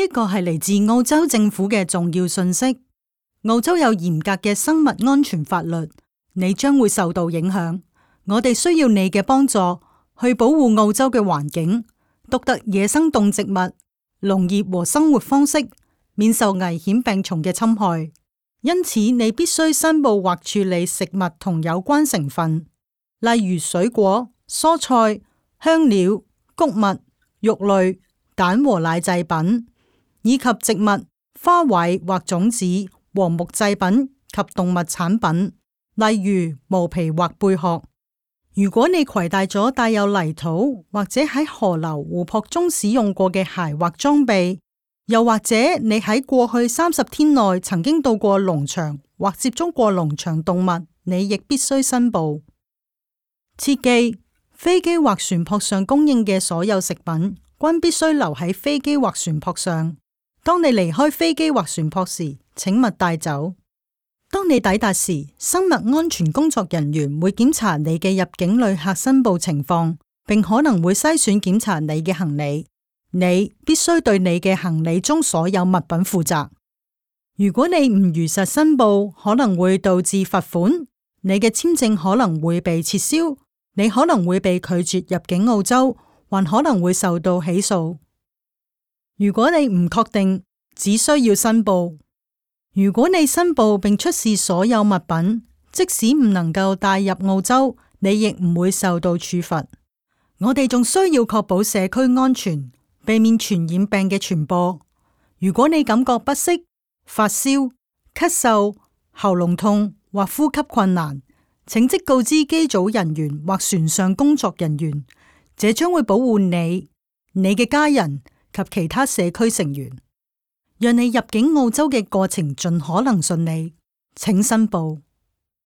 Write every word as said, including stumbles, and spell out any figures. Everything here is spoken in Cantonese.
一個係嚟自澳洲政府嘅重要信息。澳洲有嚴格嘅生物安全法律，你將會受到影響。我哋需要你嘅幫助去保護澳洲嘅環境、獨特野生動植物、農業和生活方式，免受危險病蟲嘅侵害。因此，你必須申報或處理食物同有關成分，例如水果、蔬菜、香料、穀物、肉類、蛋和奶製品，以及植物、花卉或種子和木製品及動物產品，例如毛皮或貝殼。如果你攜帶咗帶有泥土或者喺河流、湖泊中使用過嘅鞋或裝備，又或者你喺過去三十天內曾經到過農場或接觸過農場動物，你亦必須申報。切記，飛機或船舶上供應嘅所有食品均必須留喺飛機或船舶上。當你離開飛機或船舶時，請勿帶走。當你抵達時，生物安全工作人員會檢查你嘅入境旅客申報情況，並可能會篩選檢查你嘅行李。你必須對你嘅行李中所有物品負責。如果你唔如實申報，可能會導致罰款，你嘅簽證可能會被撤銷，你可能會被拒絕入境澳洲，還可能會受到起訴。如果你唔確定，只需要申報。如果你申報並出示所有物品，即使唔能夠帶入澳洲，你亦唔會受到處罰。我哋仲需要確保社區安全，避免傳染病嘅傳播。如果你感覺不適、發燒、咳嗽、喉嚨痛或呼吸困難，請即告知機組人員或船上工作人員，這將會保護你、你嘅家人及其他社區成員，讓你入境澳洲嘅過程盡可能順利。請申報。